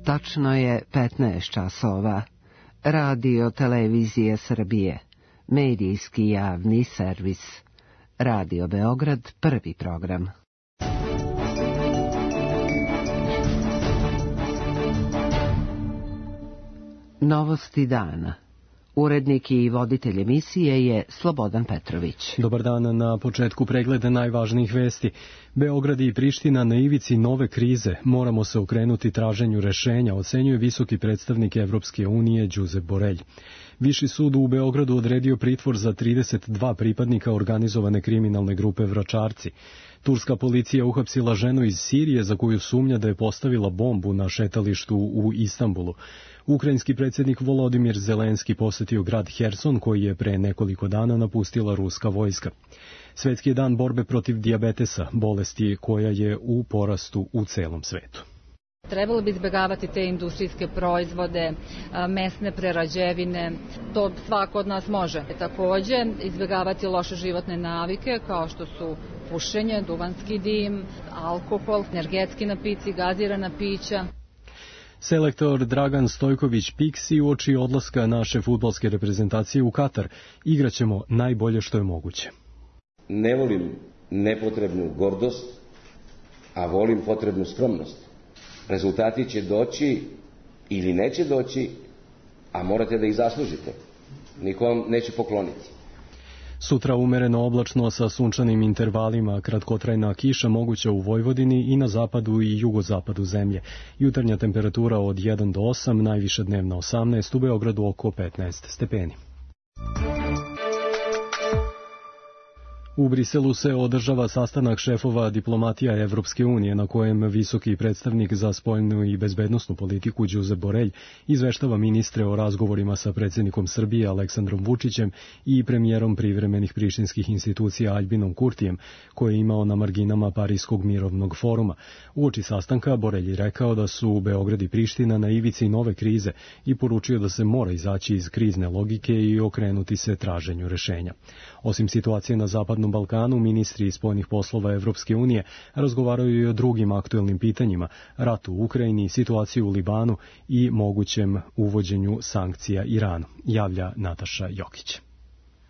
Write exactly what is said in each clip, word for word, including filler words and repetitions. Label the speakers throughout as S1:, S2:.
S1: Tačno je petnaest časova. Radio Televizija Srbije. Medijski javni servis. Radio Beograd, prvi program. Novosti dana. Urednik i voditelj emisije je Slobodan Petrović.
S2: Dobar dan, na početku pregleda najvažnijih vesti. Beograd i Priština na ivici nove krize. Moramo se okrenuti traženju rešenja, ocenjuje visoki predstavnik Evropske unije Josep Borrell. Viši sud u Beogradu odredio pritvor za trideset dva pripadnika organizovane kriminalne grupe Vračarci. Turska policija uhapsila ženu iz Sirije za koju sumnja da je postavila bombu na šetalištu u Istanbulu. Ukrajinski predsjednik Volodimir Zelenski posetio grad Herson koji je pre nekoliko dana napustila ruska vojska. Svetski je dan borbe protiv dijabetesa, bolesti koja je u porastu u celom svetu.
S3: Trebalo bi izbjegavati te industrijske proizvode, mesne prerađevine, to svako od nas može. Takođe, izbjegavati loše životne navike kao što su pušenje, duvanski dim, alkohol, energetski napici, gazirana pića.
S2: Selektor Dragan Stojković Piksi uoči odlaska naše fudbalske reprezentacije u Katar. Igraćemo najbolje što je moguće.
S4: Ne volim nepotrebnu gordost, a volim potrebnu skromnost. Rezultati će doći ili neće doći, a morate da ih zaslužite. Niko vam neće pokloniti.
S2: Sutra umereno oblačno sa sunčanim intervalima, kratkotrajna kiša moguća u Vojvodini i na zapadu i jugozapadu zemlje. Jutarnja temperatura od jedan do osam, najviša dnevna osamnaest, u Beogradu oko petnaest stepeni. U Briselu se održava sastanak šefova diplomatija Evropske unije na kojem visoki predstavnik za spoljnu i bezbednosnu politiku Josep Borrell izveštava ministre o razgovorima sa predsjednikom Srbije Aleksandrom Vučićem i premijerom privremenih prištinskih institucija Aljbinom Kurtijem, koje je imao na marginama Pariskog mirovnog foruma. Uoči sastanka Borrell je rekao da su Beograd i Priština na ivici nove krize i poručio da se mora izaći iz krizne logike i okrenuti se traženju rešenja. Osim situacije na zapadnom Balkanu, ministri spoljnih poslova Evropske unije razgovaraju i o drugim aktuelnim pitanjima, ratu u Ukrajini, situaciju u Libanu i mogućem uvođenju sankcija Iranu, javlja Nataša Jokić.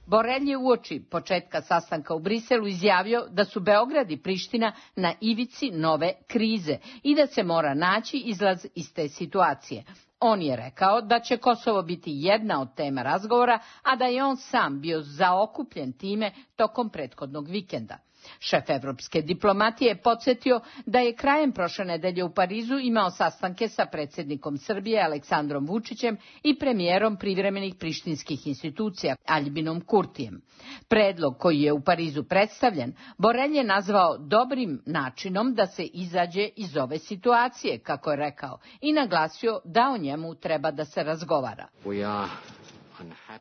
S5: Borrell je uoči početka sastanka u Briselu izjavio da su Beograd i Priština na ivici nove krize i da se mora naći izlaz iz te situacije. On je rekao da će Kosovo biti jedna od tema razgovora, a da je on sam bio zaokupljen time tokom prethodnog vikenda. Šef evropske diplomatije je podsjetio da je krajem prošle nedelje u Parizu imao sastanke sa predsjednikom Srbije Aleksandrom Vučićem i premijerom privremenih prištinskih institucija Aljbinom Kurtijem. Predlog koji je u Parizu predstavljen, Borrell je nazvao dobrim načinom da se izađe iz ove situacije, kako je rekao, i naglasio da o njemu treba da se razgovara.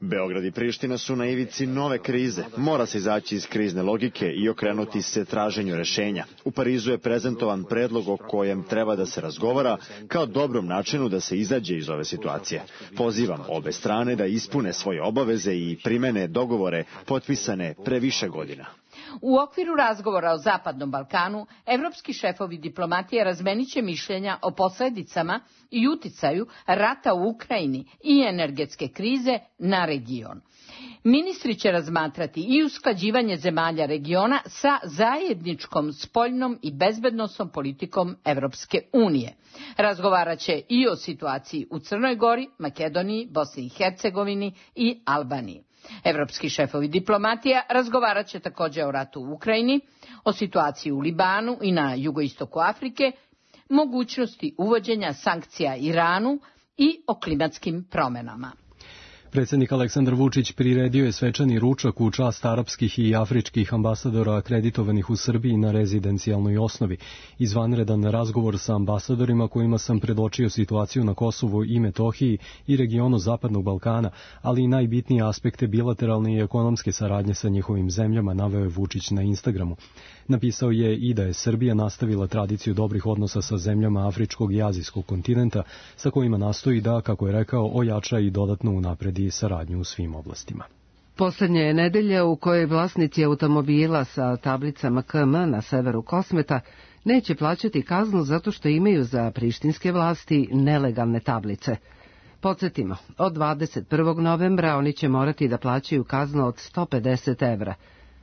S6: Beograd i Priština su na ivici nove krize. Mora se izaći iz krizne logike i okrenuti se traženju rešenja. U Parizu je prezentovan predlog o kojem treba da se razgovara kao dobrom načinu da se izađe iz ove situacije. Pozivam obe strane da ispune svoje obaveze i primene dogovore potpisane pre više godina.
S5: U okviru razgovora o Zapadnom Balkanu, evropski šefovi diplomatije razmeniće mišljenja o posledicama i uticaju rata u Ukrajini i energetske krize na region. Ministri će razmatrati i usklađivanje zemalja regiona sa zajedničkom spoljnom i bezbednosnom politikom Evropske unije. Razgovarat će i o situaciji u Crnoj Gori, Makedoniji, Bosni i Hercegovini i Albaniji. Evropski šefovi diplomatija razgovarat će također o ratu u Ukrajini, o situaciji u Libanu i na jugoistoku Afrike, mogućnosti uvođenja sankcija Iranu i o klimatskim promjenama.
S2: Predsjednik Aleksandar Vučić priredio je svečani ručak u čast arapskih i afričkih ambasadora akreditovanih u Srbiji na rezidencijalnoj osnovi. Izvanredan razgovor sa ambasadorima kojima sam predočio situaciju na Kosovu i Metohiji i regionu Zapadnog Balkana, ali i najbitnije aspekte bilateralne i ekonomske saradnje sa njihovim zemljama, naveo je Vučić na Instagramu. Napisao je i da je Srbija nastavila tradiciju dobrih odnosa sa zemljama afričkog i azijskog kontinenta, sa kojima nastoji da, kako je rekao, ojača i dodatno unapredi saradnju u svim oblastima.
S1: Poslednje je nedelja u kojoj vlasnici automobila sa tablicama K M na severu Kosmeta neće plaćati kaznu zato što imaju za prištinske vlasti nelegalne tablice. Podsjetimo, od dvadeset prvog novembra oni će morati da plaćaju kaznu od sto pedeset evra.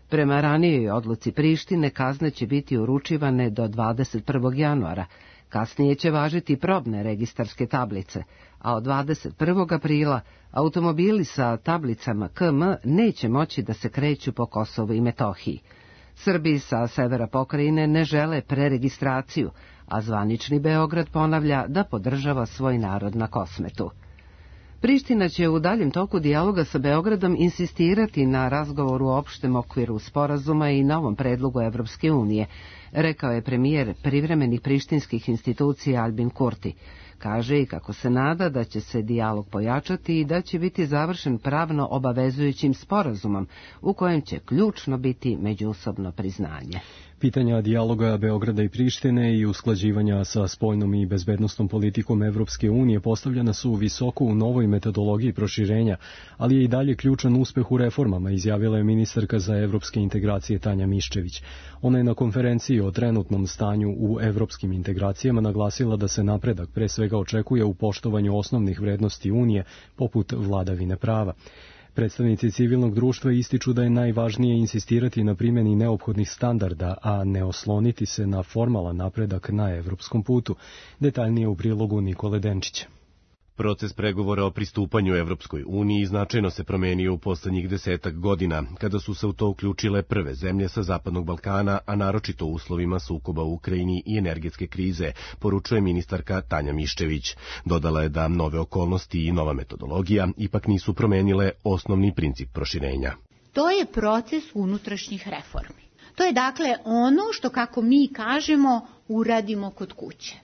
S1: Prema ranijoj odluci Prištine kazne će biti uručivane do dvadeset prvog januara. Kasnije će važiti probne registarske tablice, a od dvadeset prvog aprila automobili sa tablicama K M neće moći da se kreću po Kosovu i Metohiji. Srbi sa severa pokrajine ne žele preregistraciju, a zvanični Beograd ponavlja da podržava svoj narod na Kosmetu. Priština će u daljem toku dijaloga sa Beogradom insistirati na razgovoru u opštem okviru sporazuma i novom predlogu Evropske unije, rekao je premijer privremenih prištinskih institucija Albin Kurti. Kaže i kako se nada da će se dijalog pojačati i da će biti završen pravno obavezujućim sporazumom u kojem će ključno biti međusobno priznanje.
S2: Pitanja dijaloga Beograda i Prištine i usklađivanja sa spoljnom i bezbednosnom politikom Evropske unije postavljena su visoko u novoj metodologiji proširenja, ali je i dalje ključan uspeh u reformama, izjavila je ministarka za evropske integracije Tanja Miščević. Ona je na konferenciji o trenutnom stanju u evropskim integracijama naglasila da se napredak pre svega očekuje u poštovanju osnovnih vrednosti Unije, poput vladavine prava. Predstavnici civilnog društva ističu da je najvažnije insistirati na primjeni neophodnih standarda, a ne osloniti se na formalan napredak na evropskom putu. Detaljnije u prilogu Nikole Denčića.
S7: Proces pregovora o pristupanju Evropskoj uniji značajno se promenio u poslednjih desetak godina, kada su se u to uključile prve zemlje sa Zapadnog Balkana, a naročito u uslovima sukoba u Ukrajini i energetske krize, poručuje ministarka Tanja Miščević. Dodala je da nove okolnosti i nova metodologija ipak nisu promenile osnovni princip proširenja.
S8: To je proces unutrašnjih reformi. To je dakle ono što, kako mi kažemo, uradimo kod kuće.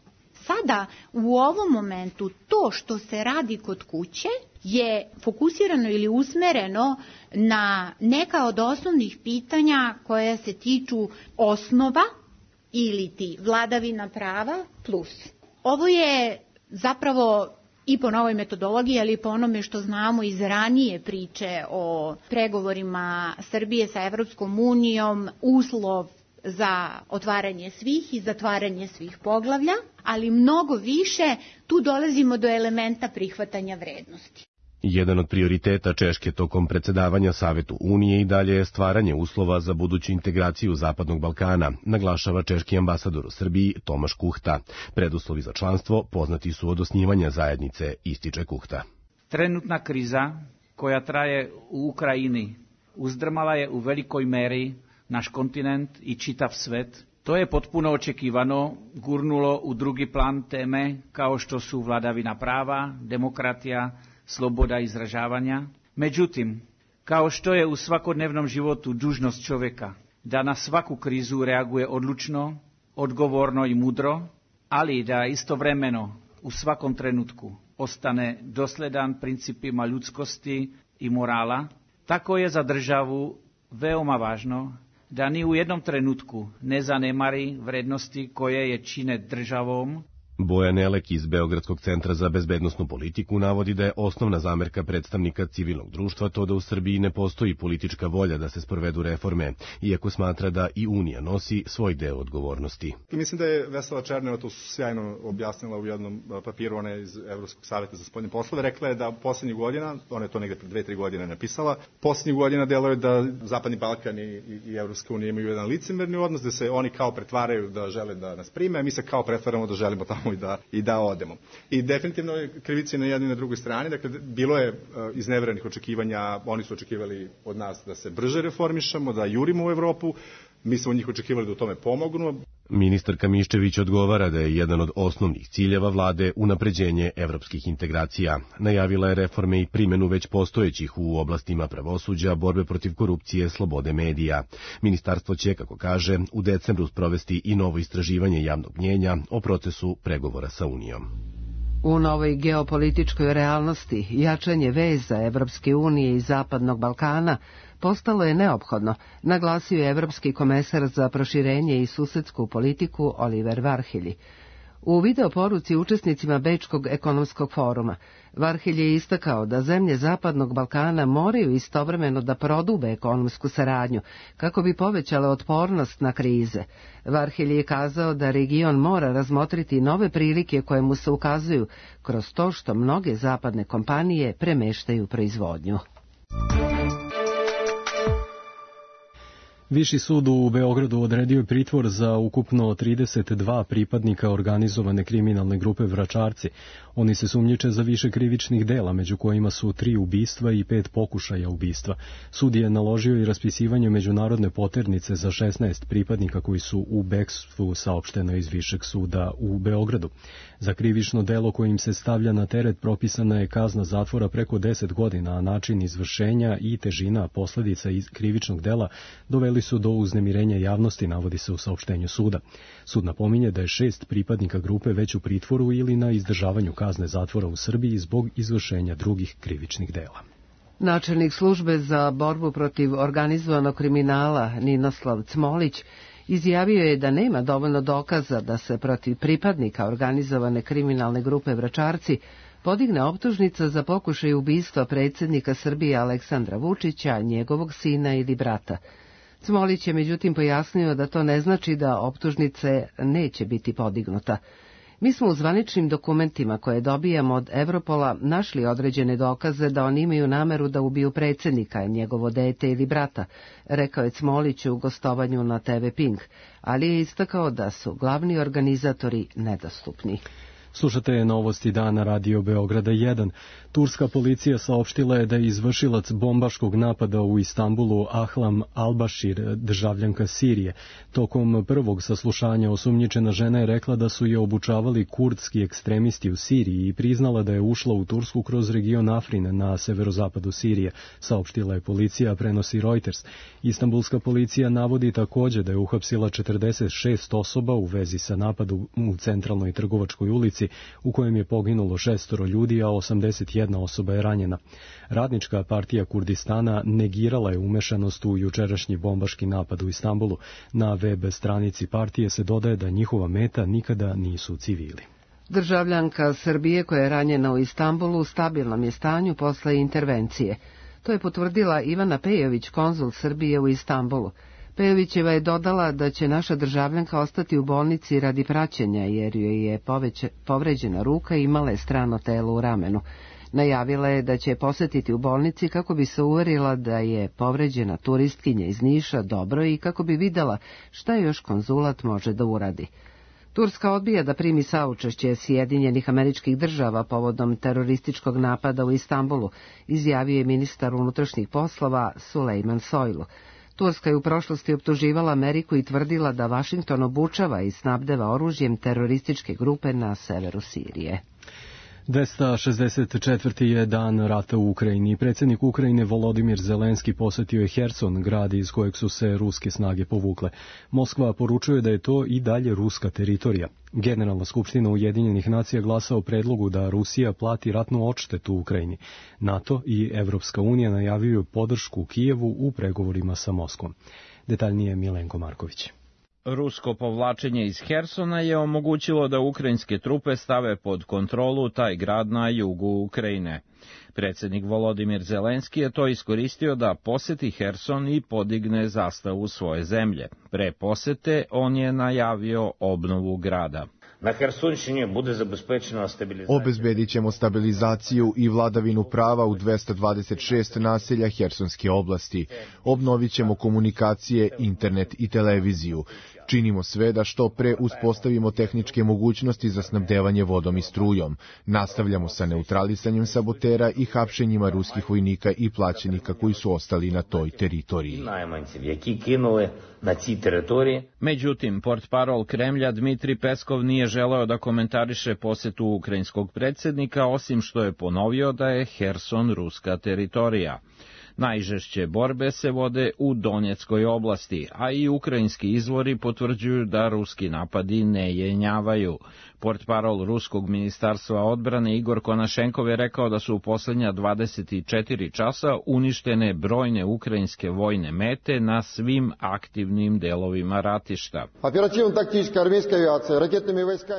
S8: Sada, u ovom momentu, to što se radi kod kuće je fokusirano ili usmereno na neka od osnovnih pitanja koja se tiču osnova ili ti vladavina prava plus. Ovo je zapravo i po novoj metodologiji, ali i po onome što znamo iz ranije priče o pregovorima Srbije sa Evropskom unijom, uslov za otvaranje svih i zatvaranje svih poglavlja, ali mnogo više tu dolazimo do elementa prihvatanja vrednosti.
S7: Jedan od prioriteta Češke tokom predsedavanja Savetu Unije i dalje je stvaranje uslova za buduću integraciju Zapadnog Balkana, naglašava češki ambasador u Srbiji Tomaš Kuhta. Preduslovi za članstvo poznati su od osnivanja zajednice, ističe Kuhta.
S9: Trenutna kriza koja traje u Ukrajini uzdrmala je u velikoj meri naš kontinent i čitav svet. To je potpuno očekivano gurnulo u drugi plan teme kao što su vladavina prava, demokratija, sloboda izražavanja. Međutim, kao što je u svakodnevnom životu dužnost čovjeka da na svaku krizu reaguje odlučno, odgovorno i mudro, ali da istovremeno u svakom trenutku ostane dosledan principima ljudskosti i morala, tako je za državu veoma važno da ni u jednom trenutku ne zanemari vrednosti koje je čine državom.
S7: Bojan Elek iz Beogradskog centra za bezbednosnu politiku navodi da je osnovna zamerka predstavnika civilnog društva to da u Srbiji ne postoji politička volja da se sprovedu reforme, iako smatra da i Unija nosi svoj deo odgovornosti.
S10: Mislim da je Vesela Černeva to sjajno objasnila u jednom papiru, ona je iz Evropskog saveta za spoljne poslove, rekla je da poslednjih godina, ona je to negde pre dve, tri godine napisala, poslednjih godina deluje da Zapadni Balkan i, i, i Evropska unija imaju jedan licemerni odnos, da se oni kao pretvaraju da žele da nas prime, a mi se kao pretvaramo da želimo tamo i da, i da odemo. I definitivno je krivica na jednoj i na drugoj strani, dakle, bilo je uh, izneverenih očekivanja, oni su očekivali od nas da se brže reformišemo, da jurimo u Evropu, mi smo od njih očekivali da u tome pomognu.
S7: Ministarka Miščević odgovara da je jedan od osnovnih ciljeva vlade unapređenje evropskih integracija. Najavila je reforme i primjenu već postojećih u oblastima pravosuđa, borbe protiv korupcije, slobode medija. Ministarstvo će, kako kaže, u decembru sprovesti i novo istraživanje javnog mnjenja o procesu pregovora sa Unijom.
S1: U novoj geopolitičkoj realnosti jačanje veza Evropske unije i Zapadnog Balkana postalo je neophodno, naglasio je evropski komesar za proširenje i susedsku politiku Oliver Varhelyi. U video poruci učesnicima Bečkog ekonomskog foruma, Varhelj je istakao da zemlje Zapadnog Balkana moraju istovremeno da prodube ekonomsku saradnju kako bi povećale otpornost na krize. Varhelj je kazao da region mora razmotriti nove prilike koje mu se ukazuju kroz to što mnoge zapadne kompanije premeštaju proizvodnju.
S2: Viši sud u Beogradu odredio je pritvor za ukupno trideset dva pripadnika organizovane kriminalne grupe Vračarci. Oni se sumnjiče za više krivičnih dela, među kojima su tri ubistva i pet pokušaja ubistva. Sud je naložio i raspisivanje međunarodne poternice za šesnaest pripadnika koji su u bekstvu, saopšteno iz Višeg suda u Beogradu. Za krivično delo kojim se stavlja na teret propisana je kazna zatvora preko deset godina, a način izvršenja i težina posledica iz krivičnog dela doveli su do uznemirenja javnosti, navodi se u saopštenju suda. Sud napominje da je šest pripadnika grupe već u pritvoru ili na izdržavanju kazne zatvora u Srbiji zbog izvršenja drugih krivičnih dela.
S1: Načelnik službe za borbu protiv organizovanog kriminala Ninoslav Cmolić izjavio je da nema dovoljno dokaza da se protiv pripadnika organizovane kriminalne grupe Vračarci podigne optužnica za pokušaj ubistva predsjednika Srbije Aleksandra Vučića, njegovog sina ili brata. Cmolić je međutim pojasnio da to ne znači da optužnice neće biti podignuta. Mi smo u zvaničnim dokumentima koje dobijamo od Evropola našli određene dokaze da oni imaju nameru da ubiju predsjednika, njegovo dete ili brata, rekao je Cmolić u gostovanju na te ve Pink, ali je istakao da su glavni organizatori nedostupni.
S2: Slušate novosti dana Radio Beograda jedan. Turska policija saopštila je da je izvršilac bombaškog napada u Istanbulu Ahlam Albašir, državljanka Sirije. Tokom prvog saslušanja osumnjičena žena je rekla da su je obučavali kurdski ekstremisti u Siriji i priznala da je ušla u Tursku kroz region Afrin na severozapadu Sirije, saopštila je policija, prenosi Reuters. Istanbulska policija navodi takođe da je uhapsila četrdeset šest osoba u vezi sa napadom u centralnoj trgovačkoj ulici, u kojem je poginulo šestoro ljudi, a osamdeset jedna osoba je ranjena. Radnička partija Kurdistana negirala je umešanost u jučerašnji bombaški napad u Istanbulu. Na web stranici partije se dodaje da njihova meta nikada nisu civili.
S1: Državljanka Srbije koja je ranjena u Istanbulu u stabilnom je stanju posle intervencije. To je potvrdila Ivana Pejović, konzul Srbije u Istanbulu. Pejovićeva je dodala da će naša državljanka ostati u bolnici radi praćenja jer joj je poveće, povređena ruka i imala je strano telo u ramenu. Najavila je da će posjetiti u bolnici kako bi se uverila da je povređena turistkinja iz Niša dobro i kako bi videla šta još konzulat može da uradi. Turska odbija da primi saučešće Sjedinjenih Američkih Država povodom terorističkog napada u Istanbulu, izjavio je ministar unutrašnjih poslova Sulejman Soylu. Turska je u prošlosti optuživala Ameriku i tvrdila da Vašington obučava i snabdeva oružjem terorističke grupe na severu Sirije.
S2: dvesta šezdeset četvrti je dan rata u Ukrajini. Predsjednik Ukrajine Volodimir Zelenski posetio je Herson, grad iz kojeg su se ruske snage povukle. Moskva poručuje da je to i dalje ruska teritorija. Generalna skupština Ujedinjenih nacija glasa o predlogu da Rusija plati ratnu odštetu Ukrajini. NATO i Evropska unija najavljuju podršku Kijevu u pregovorima sa Moskvom. Detaljnije Milenko Marković.
S11: Rusko povlačenje iz Hersona je omogućilo da ukrajinske trupe stave pod kontrolu taj grad na jugu Ukrajine. Predsjednik Volodimir Zelenski je to iskoristio da poseti Herson i podigne zastavu svoje zemlje. Pre posete on je najavio obnovu grada.
S12: Na Hersonšini bude zabezpečena stabilizacija.
S13: Obezbedit ćemo stabilizaciju i vladavinu prava u dvesta dvadeset šest naselja Hersonske oblasti. Obnovit ćemo komunikacije, internet i televiziju. Činimo sve da što pre uspostavimo tehničke mogućnosti za snabdevanje vodom i strujom. Nastavljamo sa neutralisanjem sabotera i hapšenjima ruskih vojnika i plaćenika koji su ostali na toj teritoriji.
S11: Međutim, portparol Kremlja Dmitri Peskov nije želeo da komentariše posetu ukrajinskog predsjednika, osim što je ponovio da je Herson ruska teritorija. Najžešće borbe se vode u Donjeckoj oblasti, a i ukrajinski izvori potvrđuju da ruski napadi ne jenjavaju. Portparol ruskog ministarstva odbrane Igor Konašenkov je rekao da su u posljednja dvadeset četiri časa uništene brojne ukrajinske vojne mete na svim aktivnim delovima ratišta.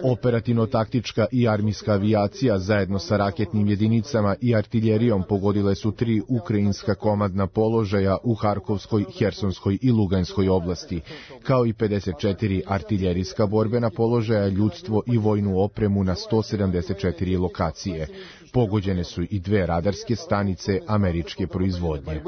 S13: Operativno-taktička i armijska avijacija zajedno sa raketnim jedinicama i artiljerijom pogodile su tri ukrajinska komadna položaja u Harkovskoj, Hersonskoj i Luganskoj oblasti, kao i pedeset četiri artiljerijska borbena položaja, ljudstvo i vojnu opremu na sto sedamdeset četiri lokacije. Pogođene su i dve radarske stanice američke proizvodnje.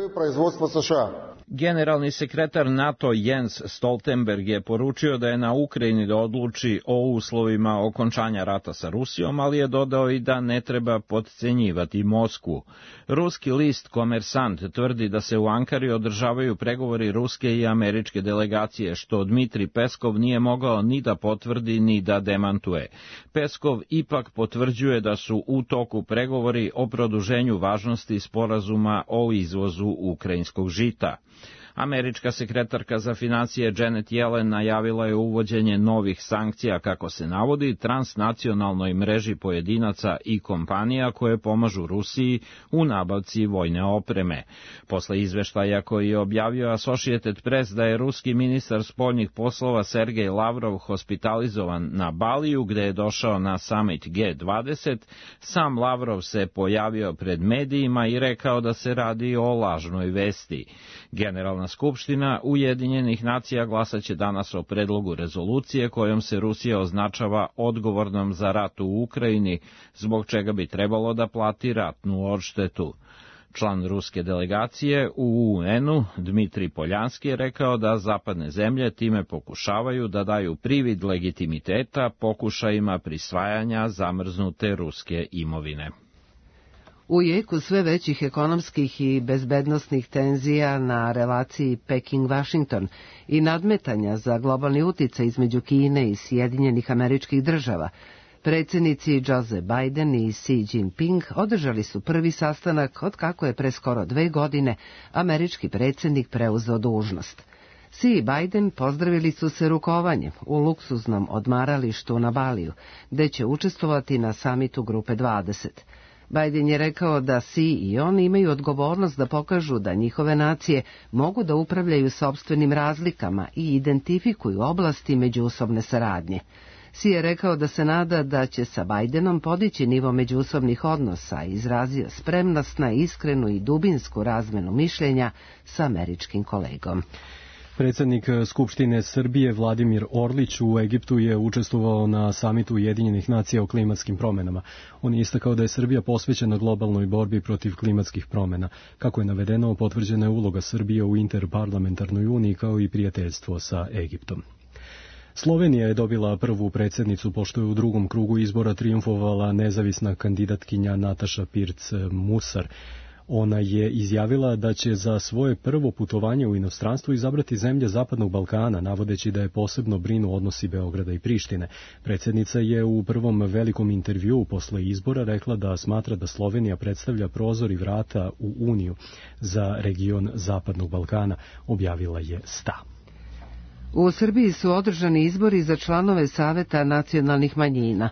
S11: Generalni sekretar NATO Jens Stoltenberg je poručio da je na Ukrajini da odluči o uslovima okončanja rata sa Rusijom, ali je dodao i da ne treba potcenjivati Moskvu. Ruski list Komersant tvrdi da se u Ankari održavaju pregovori ruske i američke delegacije, što Dmitri Peskov nije mogao ni da potvrdi ni da demantuje. Peskov ipak potvrđuje da su u toku pregovori o produženju važnosti sporazuma o izvozu ukrajinskog žita. Američka sekretarka za financije Janet Yellen najavila je uvođenje novih sankcija, kako se navodi, transnacionalnoj mreži pojedinaca i kompanija koje pomažu Rusiji u nabavci vojne opreme. Posle izveštaja koji je objavio Associated Press da je ruski ministar spoljnih poslova Sergej Lavrov hospitalizovan na Baliju, gde je došao na summit G dvadeset, sam Lavrov se pojavio pred medijima i rekao da se radi o lažnoj vesti. Generalna Skupština Ujedinjenih nacija glasaće danas o predlogu rezolucije kojom se Rusija označava odgovornom za rat u Ukrajini, zbog čega bi trebalo da plati ratnu odštetu. Član ruske delegacije u U N-u Dmitri Poljanski je rekao da zapadne zemlje time pokušavaju da daju privid legitimiteta pokušajima prisvajanja zamrznute ruske imovine.
S1: U jeku sve većih ekonomskih i bezbednosnih tenzija na relaciji Peking-Washington i nadmetanja za globalni uticaj između Kine i Sjedinjenih Američkih Država, predsjednici Joe Biden i Xi Jinping održali su prvi sastanak od kako je pre skoro dve godine američki predsjednik preuzeo dužnost. Xi i Biden pozdravili su se rukovanjem u luksuznom odmaralištu na Baliju, gde će učestvovati na samitu Grupe dvadeset. Biden je rekao da Xi i on imaju odgovornost da pokažu da njihove nacije mogu da upravljaju sopstvenim razlikama i identifikuju oblasti međusobne saradnje. Xi je rekao da se nada da će sa Bidenom podići nivo međusobnih odnosa i izrazio spremnost na iskrenu i dubinsku razmenu mišljenja sa američkim kolegom.
S2: Predsjednik Skupštine Srbije Vladimir Orlić u Egiptu je učestvovao na samitu Ujedinjenih nacija o klimatskim promjenama. On je istakao da je Srbija posvećena globalnoj borbi protiv klimatskih promjena. Kako je navedeno, potvrđena je uloga Srbije u interparlamentarnoj uniji kao i prijateljstvo sa Egiptom. Slovenija je dobila prvu predsjednicu pošto je u drugom krugu izbora trijumfovala nezavisna kandidatkinja Nataša Pirc-Musar. Ona je izjavila da će za svoje prvo putovanje u inostranstvu izabrati zemlje Zapadnog Balkana, navodeći da je posebno brinu odnosi Beograda i Prištine. Predsjednica je u prvom velikom intervjuu posle izbora rekla da smatra da Slovenija predstavlja prozor i vrata u Uniju za region Zapadnog Balkana, objavila je Sta.
S1: U Srbiji su održani izbori za članove Saveta nacionalnih manjina.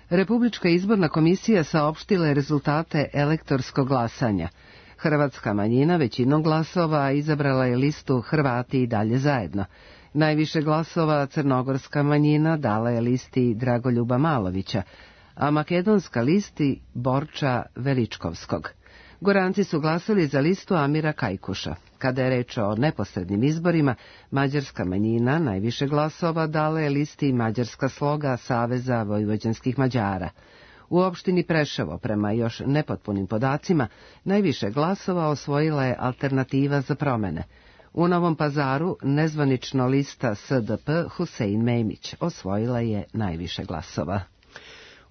S1: Republička izborna komisija saopštila je rezultate elektorskog glasanja. Hrvatska manjina većinom glasova izabrala je listu Hrvati i dalje zajedno. Najviše glasova crnogorska manjina dala je listi Dragoljuba Malovića, a makedonska listi Borča Veličkovskog. Goranci su glasali za listu Amira Kajkuša. Kada je reč o neposrednim izborima, mađarska manjina najviše glasova dala je listi Mađarska sloga Saveza vojvođanskih Mađara. U opštini Preševo, prema još nepotpunim podacima, najviše glasova osvojila je Alternativa za promene. U Novom Pazaru nezvanično lista S D P Husein Memić osvojila je najviše glasova.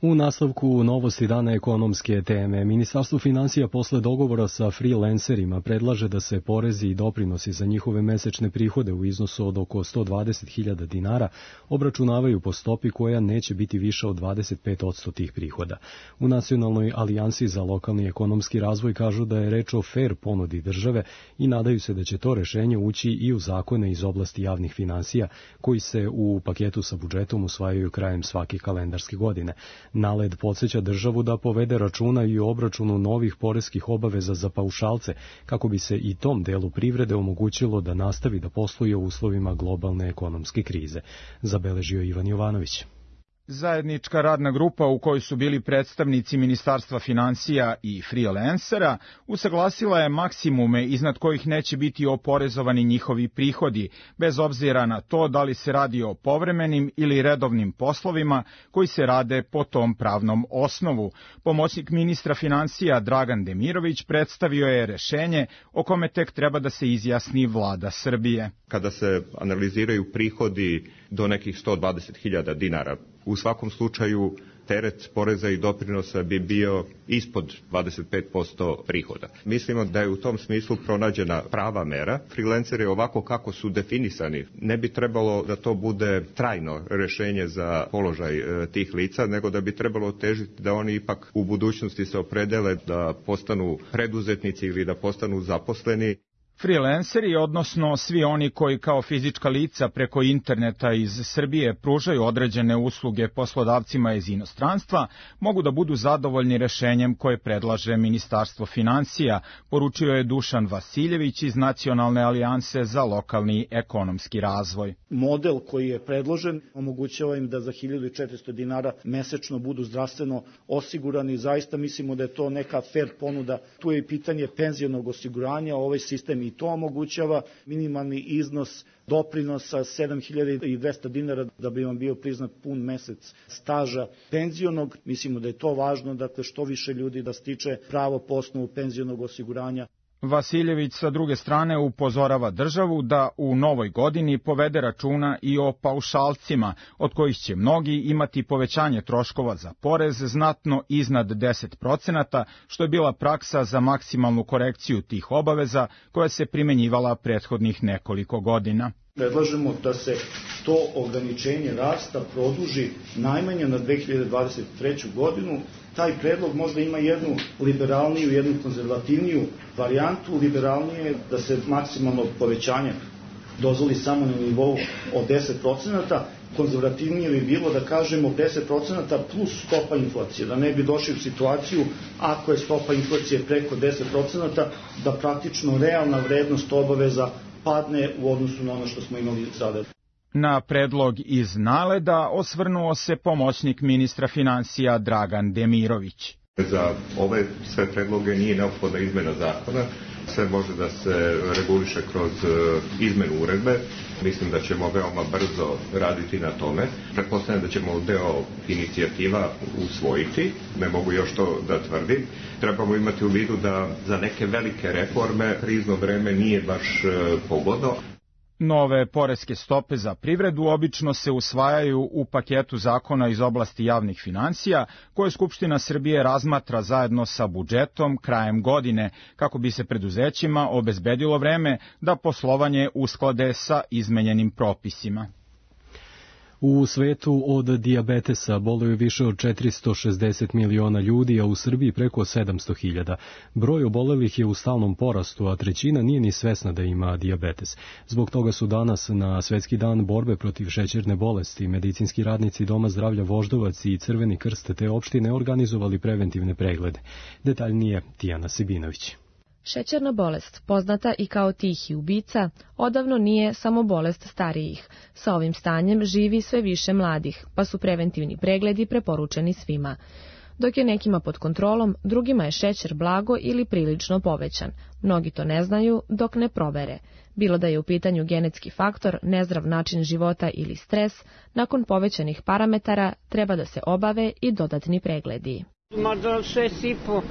S2: U nastavku novosti dana ekonomske teme, Ministarstvo finansija posle dogovora sa freelancerima predlaže da se porezi i doprinosi za njihove mesečne prihode u iznosu od oko sto dvadeset hiljada dinara obračunavaju po stopi koja neće biti više od dvadeset pet posto tih prihoda. U Nacionalnoj alijansi za lokalni ekonomski razvoj kažu da je reč o fair ponudi države i nadaju se da će to rešenje ući i u zakone iz oblasti javnih finansija koji se u paketu sa budžetom usvajaju krajem svake kalendarske godine. NALED podsjeća državu da povede računa i o obračunu novih poreskih obaveza za paušalce, kako bi se i tom delu privrede omogućilo da nastavi da posluje u uslovima globalne ekonomske krize, zabeležio Ivan Jovanović.
S14: Zajednička radna grupa u kojoj su bili predstavnici Ministarstva finansija i freelancera usaglasila je maksimume iznad kojih neće biti oporezovani njihovi prihodi, bez obzira na to da li se radi o povremenim ili redovnim poslovima koji se rade po tom pravnom osnovu. Pomoćnik ministra finansija Dragan Demirović predstavio je rešenje o kome tek treba da se izjasni vlada Srbije.
S15: Kada se analiziraju prihodi do nekih sto dvadeset hiljada dinara, u svakom slučaju teret poreza i doprinosa bi bio ispod dvadeset pet posto prihoda. Mislimo da je u tom smislu pronađena prava mera. Freelanceri ovako kako su definisani, ne bi trebalo da to bude trajno rešenje za položaj e, tih lica, nego da bi trebalo težiti da oni ipak u budućnosti se opredele da postanu preduzetnici ili da postanu zaposleni.
S14: Freelanceri, odnosno svi oni koji kao fizička lica preko interneta iz Srbije pružaju određene usluge poslodavcima iz inostranstva, mogu da budu zadovoljni rešenjem koje predlaže Ministarstvo finansija, poručio je Dušan Vasiljević iz Nacionalne alijanse za lokalni ekonomski razvoj.
S16: Model koji je predložen omogućava im da za hiljadu četiristo dinara mesečno budu zdravstveno osigurani. Zaista mislimo da je to neka fair ponuda. Tu je i pitanje penzionog osiguranja, ovaj sistem i to omogućava. Minimalni iznos doprinosa sedam hiljada dvesta dinara da bi vam bio priznat pun mesec staža penzionog. Mislimo da je to važno, dakle što više ljudi da stiče pravo po osnovu penzionog osiguranja.
S14: Vasiljević sa druge strane upozorava državu da u novoj godini povede računa i o paušalcima, od kojih će mnogi imati povećanje troškova za porez znatno iznad deset procenata, što je bila praksa za maksimalnu korekciju tih obaveza koja se primenjivala prethodnih nekoliko godina.
S16: Predlažemo da se to ograničenje rasta produži najmanje na dve hiljade dvadeset treću godinu. Taj predlog možda ima jednu liberalniju, jednu konzervativniju varijantu. Liberalnije je da se maksimalno povećanje dozvoli samo na nivou od deset procenata. Konzervativnije bi bilo da kažemo deset procenata plus stopa inflacije, da ne bi došli u situaciju ako je stopa inflacije preko deset procenata, da praktično realna vrednost obaveza padne u odnosu na ono što smo imali sada.
S14: Na predlog iz NALED-a osvrnuo se pomoćnik ministra finansija Dragan Demirović.
S15: Za ove sve predloge nije neophodna izmena zakona, sve može da se reguliše kroz izmenu uredbe. Mislim da ćemo veoma brzo raditi na tome. Pretpostavljam da ćemo deo inicijativa usvojiti, ne mogu još to da tvrdim. Trebamo imati u vidu da za neke velike reforme krizno vreme nije baš pogodno.
S14: Nove poreske stope za privredu obično se usvajaju u paketu zakona iz oblasti javnih finansija, koje Skupština Srbije razmatra zajedno sa budžetom krajem godine, kako bi se preduzećima obezbedilo vreme da poslovanje usklade sa izmenjenim propisima.
S2: U svetu od dijabetesa boluju više od četiristo šezdeset miliona ljudi, a u Srbiji preko sedamsto hiljada. Broj obolelih je u stalnom porastu, a trećina nije ni svesna da ima dijabetes. Zbog toga su danas na Svetski dan borbe protiv šećerne bolesti medicinski radnici Doma zdravlja Voždovac i Crveni krst te opštine organizovali preventivne preglede. Detaljnije Tijana Sibinović.
S17: Šećerna bolest, poznata i kao tihi ubica, odavno nije samo bolest starijih. Sa ovim stanjem živi sve više mladih, pa su preventivni pregledi preporučeni svima. Dok je nekima pod kontrolom, drugima je šećer blago ili prilično povećan. Mnogi to ne znaju dok ne provere. Bilo da je u pitanju genetski faktor, nezdrav način života ili stres, nakon povećanih parametara treba da se obave i dodatni pregledi.
S18: Možda šest i po,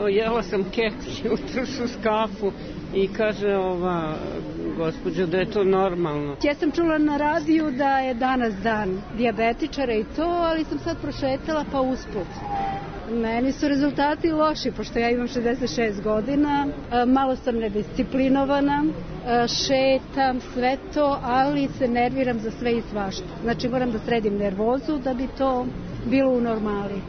S18: jela sam keks jutros uz kafu i kaže ova gospođo, da je to normalno.
S19: Ja sam čula na radiju da je danas dan dijabetičara i to, ali sam sad prošetala pa usput. Meni su rezultati loši, pošto ja imam šezdeset šest godina, malo sam nedisciplinovana, šetam, sve to, ali se nerviram za sve i svašta. Znači moram da sredim nervozu da bi to bilo u normali.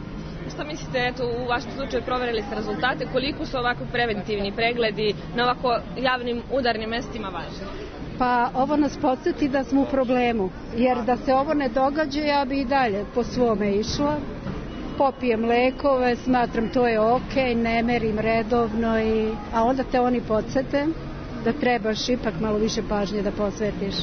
S20: Šta mislite, eto, u vašem slučaju proverili ste rezultate, koliko su ovako preventivni pregledi na ovako javnim udarnim mestima važni?
S19: Pa ovo nas podsjeti da smo u problemu, jer da se ovo ne događa, ja bi i dalje po svome išla. Popijem lekove, smatram to je ok, ne merim redovno, i, a onda te oni podsjete da trebaš ipak malo više pažnje da posvetiš.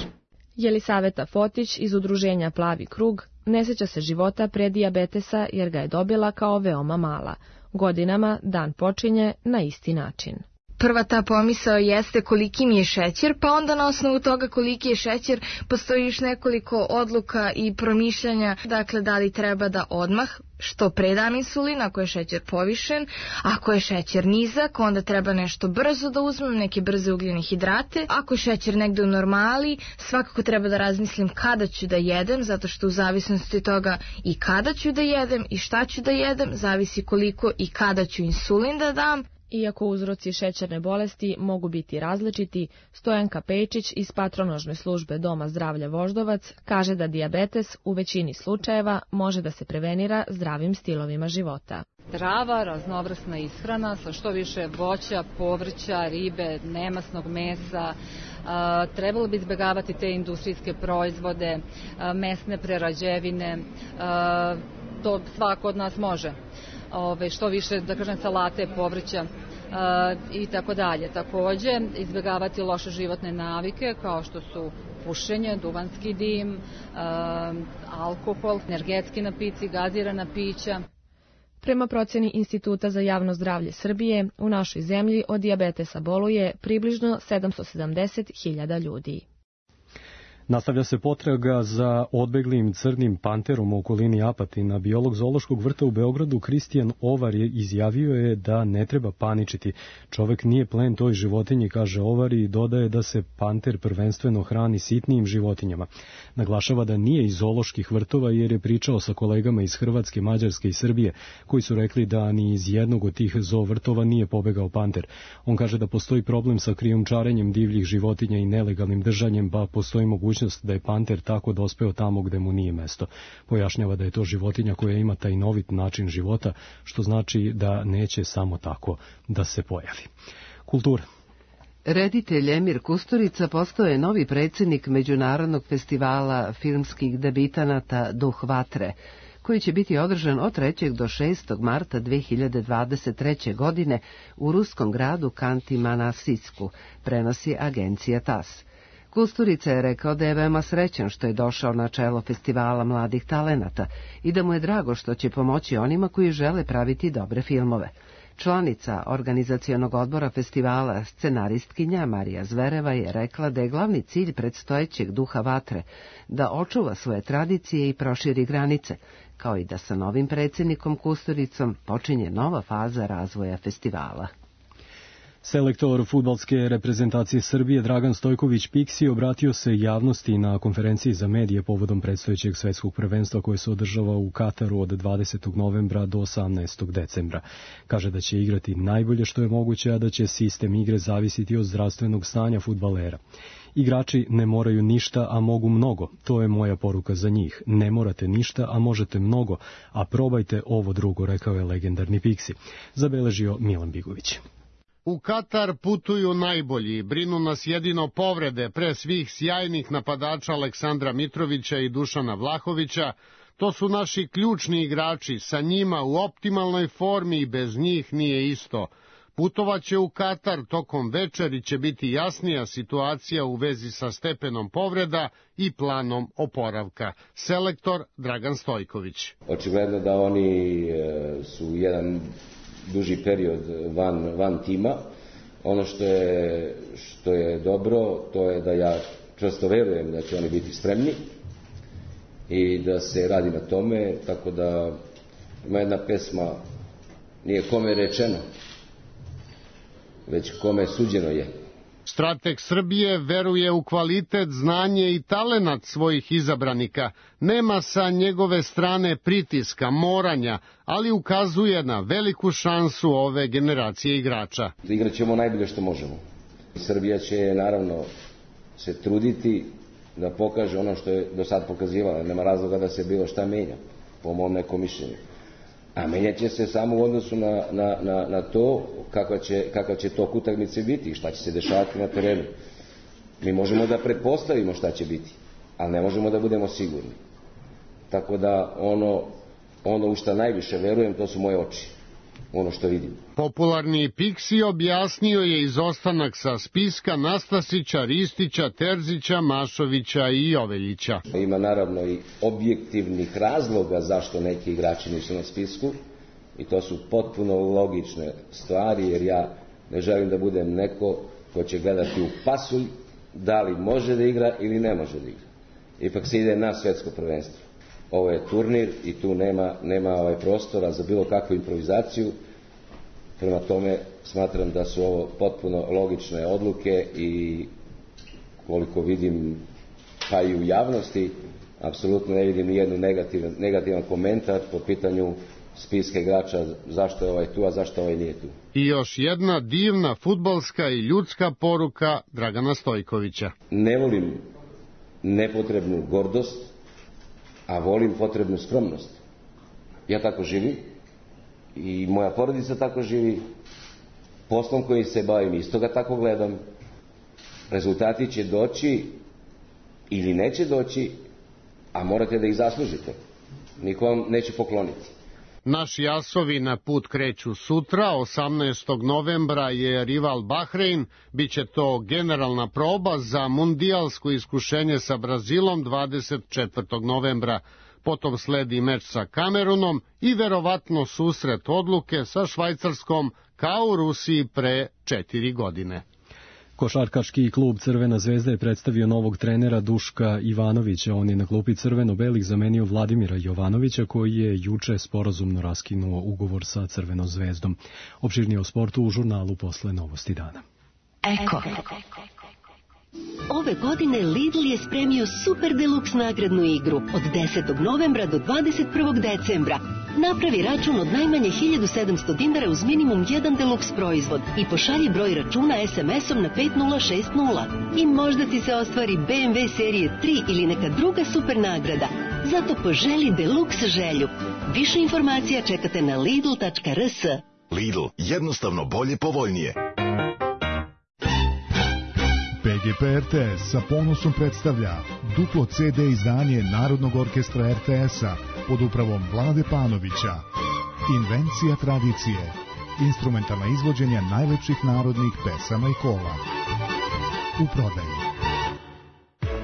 S17: Jelisaveta Fotić iz udruženja Plavi krug ne sjeća se života pre dijabetesa jer ga je dobila kao veoma mala. Godinama dan počinje na isti način.
S21: Prva ta pomisao jeste koliki mi je šećer, pa onda na osnovu toga koliki je šećer postoji još nekoliko odluka i promišljanja, dakle da li treba da odmah što pre dam insulin ako je šećer povišen, ako je šećer nizak onda treba nešto brzo da uzmem, neke brze ugljene hidrate, ako je šećer negde u normali svakako treba da razmislim kada ću da jedem, zato što u zavisnosti od toga i kada ću da jedem i šta ću da jedem, zavisi koliko i kada ću insulin da dam.
S17: Iako uzroci šećerne bolesti mogu biti različiti, Stojanka Pejčić iz patronažne službe Doma zdravlja Voždovac kaže da dijabetes u većini slučajeva može da se prevenira zdravim stilovima života.
S3: Zdrava, raznovrsna ishrana sa što više voća, povrća, ribe, nemasnog mesa, a, trebalo bi izbjegavati te industrijske proizvode, a, mesne prerađevine, a, to svako od nas može. Ove, što više, da kažem, salate, povrća e, i tako dalje. Takođe, izbjegavati loše životne navike kao što su pušenje, duvanski dim, e, alkohol, energetski napici, gazirana pića.
S17: Prema procjeni Instituta za javno zdravlje Srbije, u našoj zemlji od dijabetesa boluje približno sedamsto sedamdeset hiljada ljudi.
S2: Nastavlja se potraga za odbeglim crnim panterom u okolini Apatina. Biolog zoološkog vrta u Beogradu Kristijan Ovar je izjavio je da ne treba paničiti. Čovek nije plen toj životinji, kaže Ovar, i dodaje da se panter prvenstveno hrani sitnijim životinjama. Naglašava da nije iz zooloških vrtova jer je pričao sa kolegama iz Hrvatske, Mađarske i Srbije, koji su rekli da ni iz jednog od tih zoo vrtova nije pobegao panter. On kaže da postoji problem sa krijumčarenjem divljih životinja i nelegalnim držanjem, pa postoji mogućnost da je panter tako dospeo tamo gde mu nije mesto. Pojašnjava da je to životinja koja ima taj novit način života, što znači da neće samo tako da se pojavi. Kultura.
S1: Reditelj Emir Kusturica postao je novi predsjednik Međunarodnog festivala filmskih debitanata Duh vatre, koji će biti održan od trećeg do šestog marta dve hiljade dvadeset treće. godine u ruskom gradu Kanti-Manasisku, prenosi agencija T A S. Kusturica je rekao da je veoma srećan što je došao na čelo festivala mladih talenata i da mu je drago što će pomoći onima koji žele praviti dobre filmove. Članica organizacionog odbora festivala, scenaristkinja Marija Zvereva, je rekla da je glavni cilj predstojećeg Duha vatre da očuva svoje tradicije i proširi granice, kao i da sa novim predsjednikom Kusturicom počinje nova faza razvoja festivala.
S2: Selektor fudbalske reprezentacije Srbije Dragan Stojković Piksi obratio se javnosti na konferenciji za medije povodom predstojećeg svetskog prvenstva koje se održava u Kataru od dvadesetog novembra do osamnaestog decembra. Kaže da će igrati najbolje što je moguće, a da će sistem igre zavisiti od zdravstvenog stanja fudbalera. Igrači ne moraju ništa, a mogu mnogo. To je moja poruka za njih. Ne morate ništa, a možete mnogo, a probajte ovo drugo, rekao je legendarni Piksi. Zabeležio Milan Bigović.
S22: U Katar putuju najbolji, brinu nas jedino povrede, pre svih sjajnih napadača Aleksandra Mitrovića i Dušana Vlahovića. To su naši ključni igrači, sa njima u optimalnoj formi i bez njih nije isto. Putovaće u Katar, tokom večeri će biti jasnija situacija u vezi sa stepenom povreda i planom oporavka. Selektor Dragan Stojković.
S4: Očigledno da oni su jedan duži period van, van tima. Ono što je, što je dobro, to je da ja čvrsto verujem da će oni biti spremni i da se radi na tome, tako da ima jedna pesma, nije kome rečeno, već kome suđeno je.
S22: Strateg Srbije veruje u kvalitet, znanje i talenat svojih izabranika. Nema sa njegove strane pritiska, moranja, ali ukazuje na veliku šansu ove generacije igrača.
S4: Igrat ćemo najbolje što možemo. Srbija će naravno se truditi da pokaže ono što je do sad pokazivala. Nema razloga da se bilo šta menja, po mom nekom mišljenju. A menjat će se samo u odnosu na, na, na, na to kakva će, kakva će tok utakmice biti i šta će se dešavati na terenu. Mi možemo da pretpostavimo šta će biti, ali ne možemo da budemo sigurni. Tako da ono, ono u šta najviše verujem, to su moje oči. Ono što vidim.
S22: Popularni Piksi objasnio je izostanak sa spiska Nastasića, Ristića, Terzića, Mašovića i Joveljića.
S4: Ima naravno i objektivnih razloga zašto neki igrači nisu na spisku i to su potpuno logične stvari, jer ja ne želim da budem neko ko će gledati u pasulj da li može da igra ili ne može da igra. Ipak se ide na svetsko prvenstvo. Ovo je turnir i tu nema, nema ovaj prostora za bilo kakvu improvizaciju. Prema tome smatram da su ovo potpuno logične odluke i koliko vidim pa i u javnosti, apsolutno ne vidim nijednu negativan, negativan komentar po pitanju spiska igrača zašto je ovaj tu, a zašto ovaj nije tu.
S22: I još jedna divna fudbalska i ljudska poruka Dragana Stojkovića.
S4: Ne volim nepotrebnu gordost, a volim potrebnu skromnost. Ja tako živim i moja porodica tako živi, poslom koji se bavim isto ga tako gledam. Rezultati će doći ili neće doći, a morate da ih zaslužite. Niko vam neće pokloniti.
S22: Naši asovi na put kreću sutra, osamnaestog novembra je rival Bahrein, biće to generalna proba za mundijalsko iskušenje sa Brazilom dvadeset četvrtog novembra. Potom sledi meč sa Kamerunom i verovatno susret odluke sa Švajcarskom kao u Rusiji pre četiri godine.
S2: Košarkaški klub Crvena zvezda je predstavio novog trenera Duška Ivanovića. On je na klupi crveno-belih zamenio Vladimira Jovanovića, koji je juče sporazumno raskinuo ugovor sa Crvenom zvezdom. Opširnije o sportu u žurnalu posle Novosti dana.
S5: Eko. Ove godine Lidl je spremio super deluks nagradnu igru od desetog novembra do dvadeset prvog decembra. Napravi račun od najmanje hiljadu sedamsto dinara uz minimum jedan deluks proizvod i pošalji broj računa es em esom na pet nula šest nula. I možda ti se ostvari be em ve serije tri ili neka druga super nagrada. Zato poželi deluks želju. Više informacija čekate na lidl tačka er es.
S6: Lidl, jednostavno bolje, povoljnije.
S23: pe ge pe er te es sa ponosom predstavlja duplo ce de izdanje Narodnog orkestra er te es-a pod upravom Vlade Panovića. Invencija tradicije. Instrumentalna izvođenja najlepših narodnih pesama i kola. U prodaju.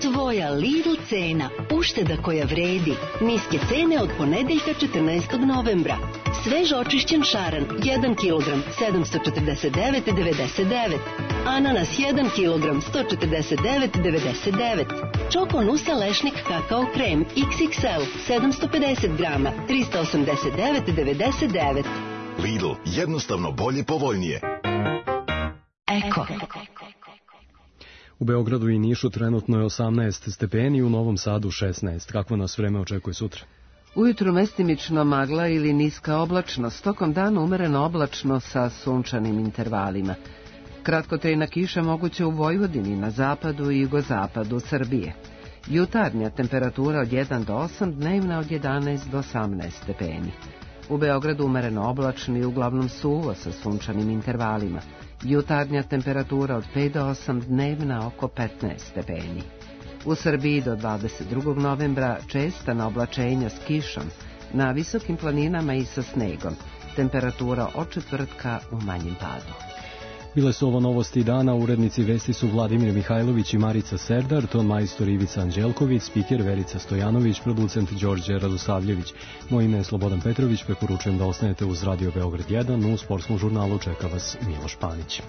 S5: Tvoja Lidl cena. Ušteda koja vredi. Niske cene od ponedeljka četrnaestog novembra. Svež očišćen šaran jedan kilogram sedamsto četrdeset devet zarez devedeset devet. Ananas jedan kilogram sto četrdeset devet zarez devedeset devet. Čoko Nusa lešnik kakao krem iks iks el sedamsto pedeset grama trista osamdeset devet zarez devedeset devet.
S6: Lidl, jednostavno bolje, povoljnije.
S5: Eko.
S2: U Beogradu i Nišu trenutno je osamnaest stepeni, u Novom Sadu šesnaest. Kakvo nas vreme očekuje sutra?
S1: Ujutru mestimično magla ili niska oblačnost, tokom dana umereno oblačno sa sunčanim intervalima. Kratkotrajna kiša moguće u Vojvodini, na zapadu i jugozapadu Srbije. Jutarnja temperatura od jedan do osam, dnevna od jedanaest do osamnaest stepeni. U Beogradu umereno oblačno i uglavnom suvo sa sunčanim intervalima. Jutarnja temperatura od pet do osam, dnevna oko petnaest stepeni. U Srbiji do dvadeset drugog novembra česta oblačenja s kišom, na visokim planinama i sa snegom. Temperatura od četvrtka u manjem padu.
S2: Bile su ovo Novosti dana, urednici vesti su Vladimir Mihajlović i Marica Serdar, ton majstor Ivica Anđelković, spiker Verica Stojanović, producent Đorđe Radosavljević. Moje ime je Slobodan Petrović, preporučujem da ostanete uz Radio Beograd jedan, u sportskom žurnalu čeka vas Miloš Panić.